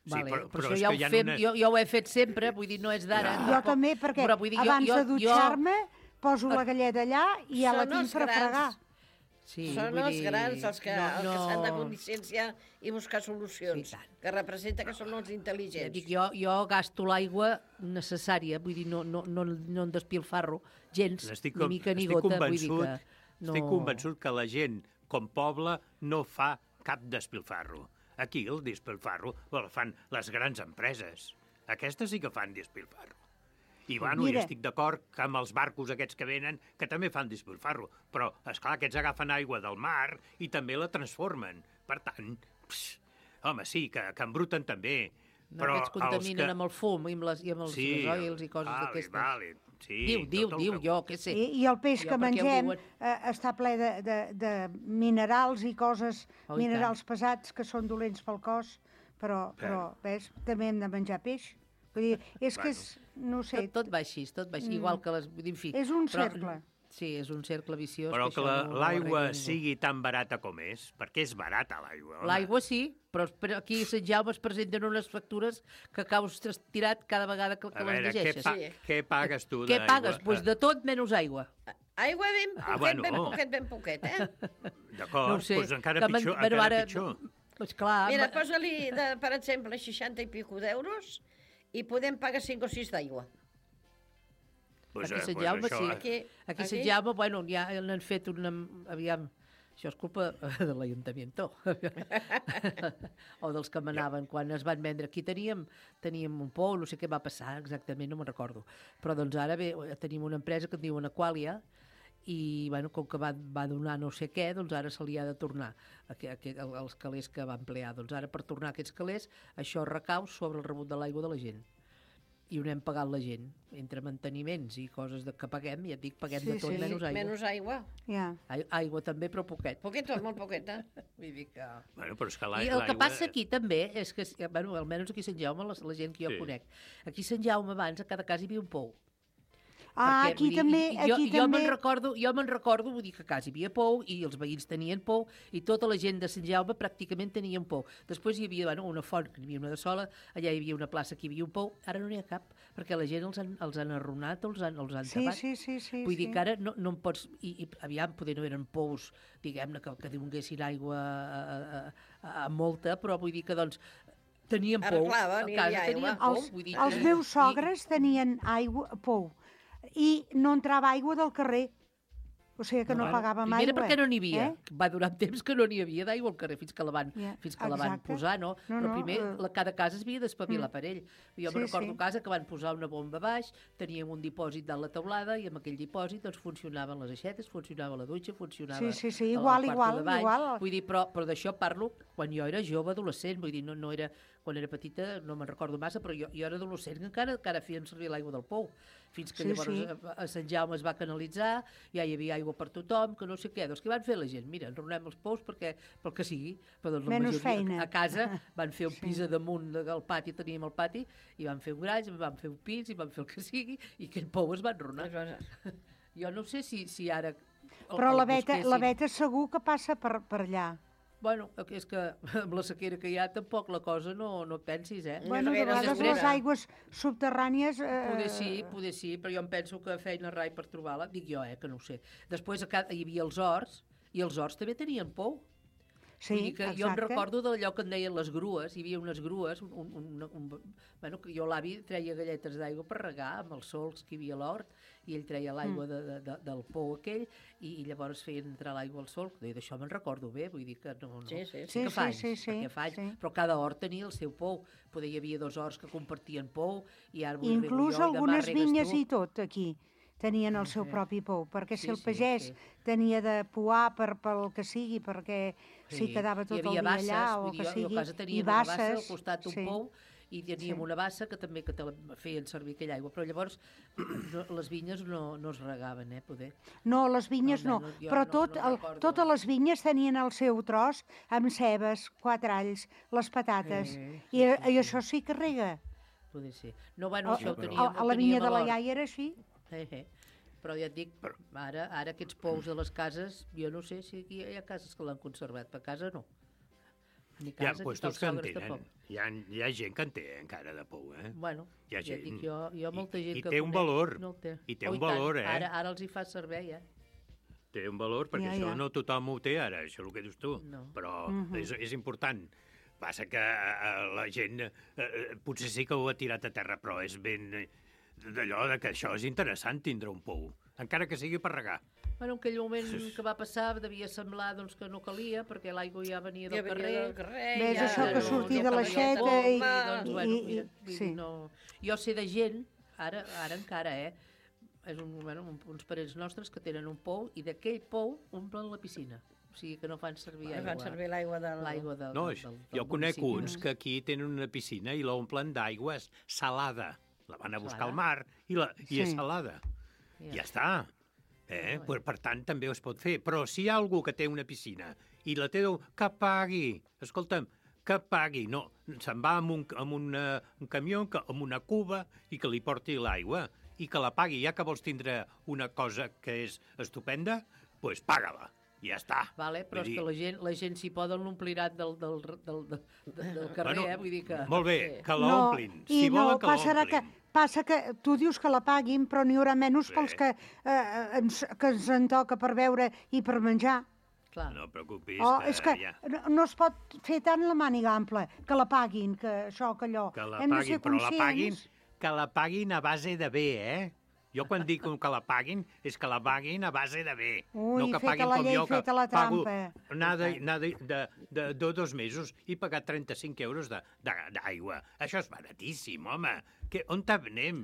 Vale, però això ja ho fem, jo ho he fet sempre, vull dir, no és d'ara. Jo també, perquè abans de dutxar-me poso la galleda allà i ja la tinc per fregar. Són els grans els que s'han de conscienciar i buscar solucions, que representa que són els intel·ligents. Dic, jo gasto l'aigua necessària, vull dir, no en despilfarro gens, ni mica ni gota. Estic convençut que la gent, com poble, no fa cap despilfarro. Aquí el despilfarro el fan les grans empreses. Aquestes sí que fan despilfarro. I bueno, jo estic d'acord que amb els barcos aquests que venen, que també fan despilfarro, però, esclar, aquests agafen aigua del mar i també la transformen. Per tant, home, sí, que embruten també. No, aquests contaminen amb el fum i amb els gasoils i coses d'aquestes. Diu, jo, què sé. I el peix que mengem està ple de minerals i coses, minerals pesats que són dolents pel cos, però ves, també hem de menjar peix. Vull dir, és que és, no sé... Tot va així, igual que les... En fi, és un cercle. Sí, és un cercle viciós. Però que l'aigua sigui tan barata com és, perquè és barata l'aigua. L'aigua sí, però aquí a Sant Jaume es presenten unes factures que caus tirat cada vegada que les llegeixes. Què pagues tu d'aigua? Què pagues? Doncs de tot menys aigua. Aigua ben poquet, D'acord, doncs encara pitjor. Mira, posa-li, per exemple, 60 i pico d'euros i podem pagar 5 o 6 d'aigua. Aquí a Sant Jaume, sí. Aquí a Sant Jaume, bueno, ja n'han fet una... Aviam, això és culpa de l'Ajuntament. O dels que manaven quan es van vendre. Aquí teníem un pou, no sé què va passar exactament, no me'n recordo. Però doncs ara tenim una empresa que es diu Aqualia i, bueno, com que va donar no sé què, doncs ara se li ha de tornar els calés que va emplear. Doncs ara, per tornar aquests calés, això recau sobre el rebut de l'aigua de la gent. I ho anem pagant la gent, entre manteniments i coses que paguem, ja et dic, paguem de tot menys aigua. Menys aigua. Aigua també, però poquet. Molt poquet, Vull dir que... Bueno, però és que I el que passa aquí també és que, bueno, almenys aquí a Sant Jaume, la gent que jo conec, aquí a Sant Jaume abans a cada casa hi havia un pou. Ah, aquí també... Jo me'n recordo, vull dir que a casa hi havia pou i els veïns tenien pou i tota la gent de Sant Jaume pràcticament tenien pou. Després hi havia una font, que n'hi havia una de sola, allà hi havia una plaça que hi havia un pou, ara no n'hi ha cap, perquè la gent els han arruïnat o els han tapat. Sí. Vull dir que ara no en pots... I aviam, poder no eren pous, diguem-ne, que donguessin aigua a molta, però vull dir que, doncs, tenien pou. A casa tenien pou. Els meus sogres tenien pou i no entrava aigua del carrer. O sigui que no pagàvem aigua. Primera perquè no n'hi havia. Va durar un temps que no n'hi havia d'aigua al carrer fins que la van posar, no? Però primer cada casa es havia d'espavilar per ell. Jo me'n recordo casa que van posar una bomba baix, teníem un dipòsit dalt la teulada i amb aquell dipòsit doncs funcionaven les aixetes, funcionava la dutxa, funcionava igual. Vull dir, però d'això parlo quan jo era jove, adolescent, vull dir, no era... Quan era petita no me'n recordo massa, però jo era adolescent que encara feien servir l'aigua del pou. Fins que llavors a Sant Jaume es va canalitzar, ja hi havia aigua per tothom, que no sé què. Doncs què van fer la gent? Mira, enronem els pous pel que sigui. Però doncs, menys feina. A casa van fer un pis a damunt del pati, teníem el pati, i van fer un garatge, van fer un pis, i van fer el que sigui, i aquell pou es va enronar. Jo no sé si ara... Però la Beta segur que passa per allà. Bueno, és que amb la sequera que hi ha tampoc la cosa no pensis, Bueno, de vegades les aigües subterrànies... Poder sí, però jo em penso que feina rai per trobar-la, dic jo, que no ho sé. Després hi havia els horts, i els horts també tenien pou. Sí, exacte. Jo em recordo d'allò que en deien les grues, hi havia unes grues, que jo l'avi treia galletes d'aigua per regar amb els solcs que hi havia a l'hort, i ell treia l'aigua del pou aquell, i llavors feien entrar l'aigua al solc. D'això me'n recordo bé, vull dir que no... Sí, però cada hort tenia el seu pou. Poder hi havia 2 horts que compartien pou, i ara... Inclús algunes vinyes i tot, aquí tenien el seu propi pou, perquè si el pagès tenia de pouar pel que sigui, perquè s'hi quedava tot el dia allà, o que sigui, i basses... al costat d'un pou, i teníem una bassa que també feien servir aquella aigua, però llavors les vinyes no es regaven, poder. No, les vinyes no, però totes les vinyes tenien el seu tros amb cebes, 4 alls, les patates, i això sí que rega. Poder ser. No, bueno, això ho teníem... A la vinya de la iaia era així. Però ja et dic, ara aquests pous de les cases, jo no sé si aquí hi ha cases que l'han conservat, per casa no. Ni casa, hi ha puestos que en tenen, hi ha gent que en té encara de pou, Bueno, ja dic jo molta gent que té un valor, no el té. I té un valor, Ara els hi fa servei, Té un valor, perquè això no tothom ho té ara, això és el que dius tu, però és important. Passa que la gent potser sí que ho ha tirat a terra, però és ben d'allò que això és interessant tindre un pou, encara que sigui per regar. Bueno, en aquell moment que va passar devia semblar que no calia, perquè l'aigua ja venia del carrer. Ves això que sortir de l'aixeta i... Jo sé de gent, ara encara, és uns parents nostres que tenen un pou i d'aquell pou omplen la piscina. O sigui que no fan servir aigua. Fan servir l'aigua del... No, jo conec uns que aquí tenen una piscina i l'omplen d'aigua salada. La van a buscar al mar i és salada. Ja està. Per tant, també es pot fer. Però si hi ha algú que té una piscina i la té, que pagui. Escolta'm, que pagui. No, se'n va amb un camió, amb una cuba, i que li porti l'aigua, i que la pagui. Ja que vols tindre una cosa que és estupenda, doncs paga-la. Ja està. Vale, però és que la gent s'hi poden l'ompliran del carrer, vull dir que... Molt bé, que l'omplin. Si volen que l'omplin. Passa que tu dius que la paguin, però n'hi haurà menys pels que ens en toca per beure i per menjar. Clar. No preocupis. És que no es pot fer tant la màniga ampla, que la paguin, que això, que allò. Que la paguin, però que la paguin a base de bé, Jo quan dic que la paguin, és que la paguin a base de bé. No que paguin com jo, que pago anar de 2 mesos i pagar 35 euros d'aigua. Això és baratíssim, home. On anem?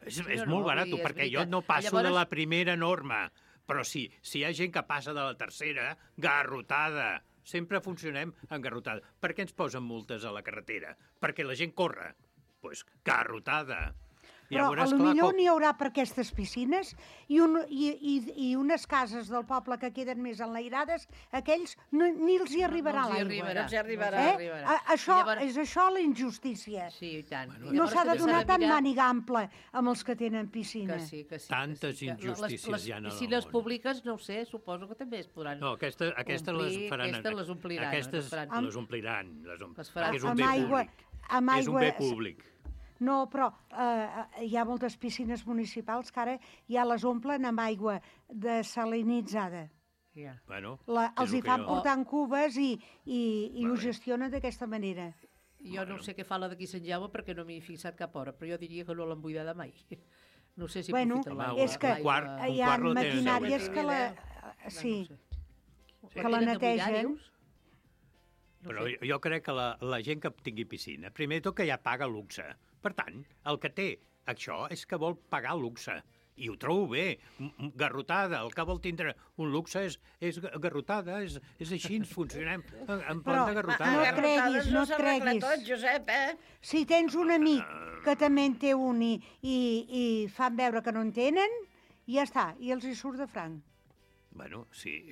És molt barat, perquè jo no passo de la primera norma. Però si hi ha gent que passa de la tercera, garrotada. Sempre funcionem en garrotada. Per què ens posen multes a la carretera? Perquè la gent corre. Doncs garrotada. Però veuràs, potser n'hi haurà per aquestes piscines i unes cases del poble que queden més enlairades, aquells ni els hi arribarà l'aigua. No els hi arribarà. És això la injustícia. Sí, i tant. No s'ha de donar tant màniga ample amb els que tenen piscina. Que sí. Tantes injustícies hi ha en el món. Les piscines públiques, no ho sé, suposo que també es podran No, aquestes les faran. Aquestes les ompliran. Aquestes les ompliran. Les faran. És un bé públic. És un bé públic. No, però hi ha moltes piscines municipals que ara ja les omplen amb aigua desalinitzada. Bueno, els hi fan portar en cubes i ho gestionen d'aquesta manera. Jo no sé què fa la d'aquí Sant Jaume perquè no m'hi he fixat cap hora, però jo diria que no l'han buidada mai. No sé si aprofiten l'aigua. És que hi ha maquinàries que la netegen. Però jo crec que la gent que tingui piscina, primer tot que ja paga luxe. Per tant, el que té això és que vol pagar luxe. I ho trobo bé, garrotada. El que vol tindre un luxe és garrotada, és així, funcionem en plan de garrotada. No et creguis. Tot, Josep, Si tens un amic que també en té un i fan veure que no en tenen, ja està, i els hi surt de franc. Bueno, sí,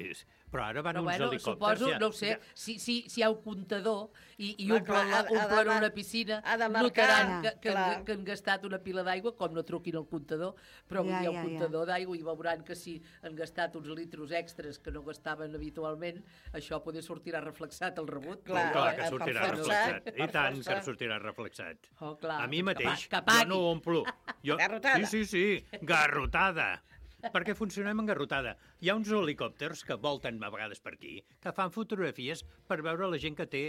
però ara van uns helicòpters... Suposo, no ho sé, si hi ha un comptador i omplen una piscina, notaran que han gastat una pila d'aigua, com no truquin al comptador, però hi ha un comptador d'aigua i veuran que si han gastat uns litros extras que no gastaven habitualment, això potser sortirà reflexat al rebut. Clar que sortirà reflexat. I tant que sortirà reflexat. A mi mateix, jo no ho omplo. Garrotada. Sí, garrotada. Perquè funcionem en garrotada. Hi ha uns helicòpters que volten a vegades per aquí, que fan fotografies per veure la gent que té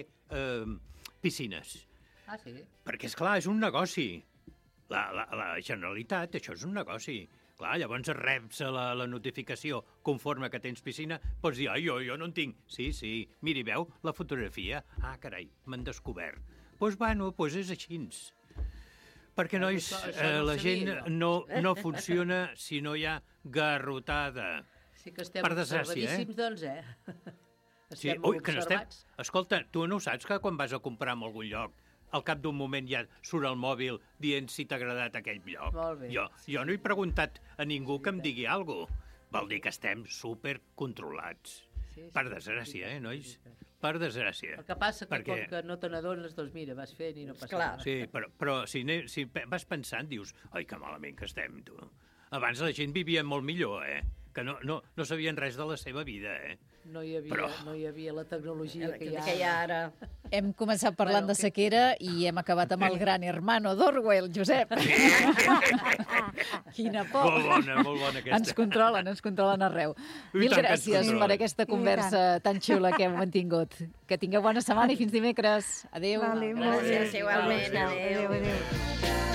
piscines. Ah, sí? Perquè, esclar, és un negoci. La Generalitat, això és un negoci. Clar, llavors reps la notificació conforme que tens piscina, pots dir, jo no en tinc. Sí, miri, veu la fotografia? Ah, carai, m'han descobert. Doncs és així. Perquè, nois, la gent no funciona si no hi ha garrotada. Sí que estem observadíssims, doncs, Estem observats. Escolta, tu no saps que quan vas a comprar en algun lloc, al cap d'un moment ja surt el mòbil dient si t'ha agradat aquell lloc? Molt bé. Jo no he preguntat a ningú que em digui alguna cosa. Vol dir que estem supercontrolats. Per desgràcia, nois? Per desgràcia. El que passa que com que no te n'adones, doncs mira, vas fent i no passa res. Sí, però si vas pensant, dius, ai, que malament que estem, tu. Abans la gent vivia molt millor, que no sabien res de la seva vida, No hi havia la tecnologia que hi ha ara. Hem començat parlant de sequera i hem acabat amb el gran hermano d'Orwell, Josep. Quina por. Molt bona aquesta. Ens controlen arreu. Mil gràcies per aquesta conversa tan xula que hem mantingut. Que tingueu bona setmana i fins dimecres. Adéu. Gràcies, igualment. Adéu.